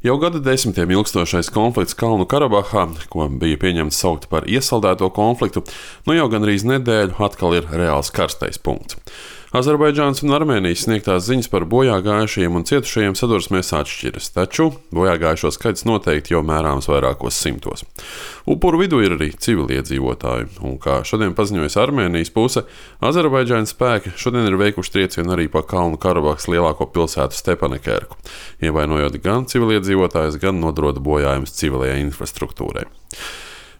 Jau gada desmitiem ilgstošais konflikts Kalnu Karabahā, ko bija pieņemts saukt par iesaldēto konfliktu, jau gandrīz nedēļu atkal ir reāls karstais punkts. Azerbaidžānas un Armēnijas sniegtās ziņas par bojāgājušajiem un cietušajiem sadursmēs atšķiras, taču bojāgājušo skaits noteikti jau mērāms vairākos simtos. Upuru vidū ir arī civiliedzīvotāji, un kā šodien paziņojas Armēnijas puse, Azerbaidžānas spēki šodien ir veikuši triecienu arī pa Kalnu Karabahas lielāko pilsētu Stepanakērku, ievainojot gan civiliedzīvotājus, gan nodarot bojājumus civilajai infrastruktūrai.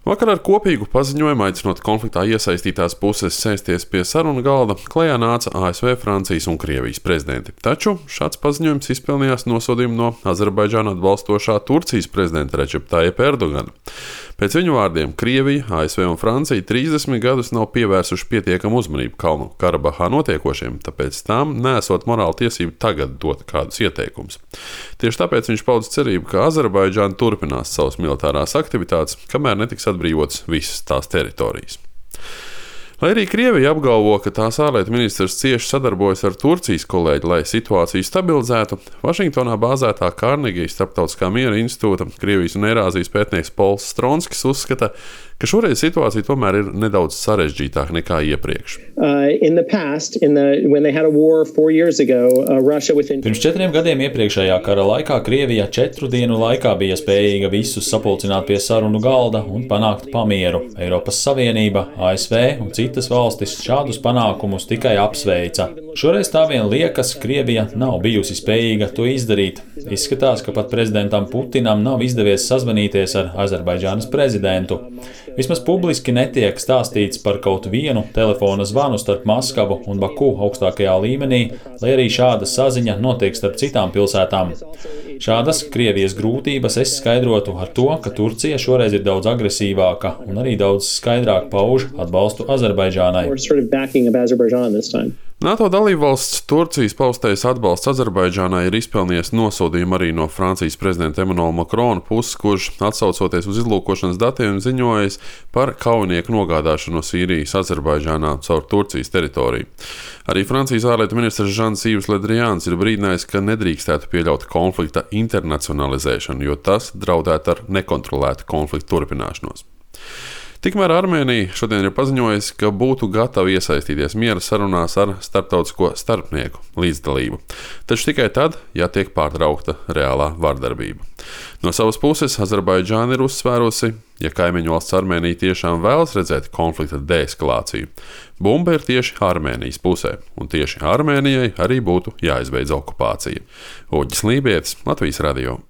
Vakar ar kopīgu paziņojumu aicinot konfliktā iesaistītās puses sēsties pie sarunu galda, klajā nāca ASV, Francijas un Krievijas prezidenti. Taču šāds paziņojums izpelnījās nosodījumu no Azerbaidžānu atbalstošā Turcijas prezidenta Redžepa Tajipa Erdogana. Pēc viņu vārdiem Krievija, ASV un Francija 30 gadus nav pievērsuši pietiekamu uzmanību Kalnu Karabahā notiekošiem, tāpēc tām nesot morāla tiesība tagad dot kādus ieteikumus. Tieši tāpēc viņš paudz cerību, ka Azerbaidžāna turpinās savas militārās aktivitātes, kamēr netiks atbrīvotas visas tās teritorijas. Lai arī Krievija apgalvo, ka tās ārlietu ministrs cieši sadarbojas ar Turcijas kolēģi, lai situāciju stabilizētu, Vašingtonā bāzētā Kārnegijas Starptautiskā miera institūta Krievijas un Eirāzijas pētnieks Pols Stronskis uzskata, ka šoreiz situācija tomēr ir nedaudz sarežģītāka nekā iepriekš. Pirms 4 gadiem iepriekšējā kara laikā Krievija 4 dienu laikā bija spējīga visus sapulcināt pie sarunu galda un panākt pamieru. Eiropas Savienība, ASV un citas valstis šādus panākumus tikai apsveica. Šoreiz tā vien liekas, Krievija nav bijusi spējīga to izdarīt. Izskatās, ka pat prezidentam Putinam nav izdevies sazvanīties ar Azerbaidžānas prezidentu. Vismaz publiski netiek stāstīts par kaut vienu telefona zvanu starp Maskavu un Baku augstākajā līmenī, lai arī šāda saziņa notiek starp citām pilsētām. Šādas Krievijas grūtības es skaidrotu ar to, ka Turcija šoreiz ir daudz agresīvāka un arī daudz skaidrāk pauž atbalstu Azerbaidžānai. NATO dalībvalsts Turcijas paustais atbalsts Azerbaidžānai ir izpelnījies nosodījumu arī no Francijas prezidenta Emmanuela Macrona puses, kurš, atsaucoties uz izlūkošanas datiem, ziņojis par kaujinieku nogādāšanu no Sīrijas Azerbaidžānā caur Turcijas teritoriju. Arī Francijas ārlietu ministrs Žans-Yves Le Drians ir brīdinājis, ka nedrīkstētu pieļaut konflikta internacionalizēšanu, jo tas draudētu ar nekontrolētu konfliktu turpināšanos. Tikmēr Armēnija šodien ir paziņojusi, ka būtu gatava iesaistīties miera sarunās ar starptautisko starpnieku līdzdalību, taču tikai tad, ja tiek pārtraukta reālā vardarbība. No savas puses Azerbaidžāna ir uzsvērusi, ja kaimiņu valsts Armēnija tiešām vēlas redzēt konflikta deeskalāciju, bumba ir tieši Armēnijas pusē, un tieši Armēnijai arī būtu jāizbeidz okupācija. Uģis Lībietis, Latvijas radio.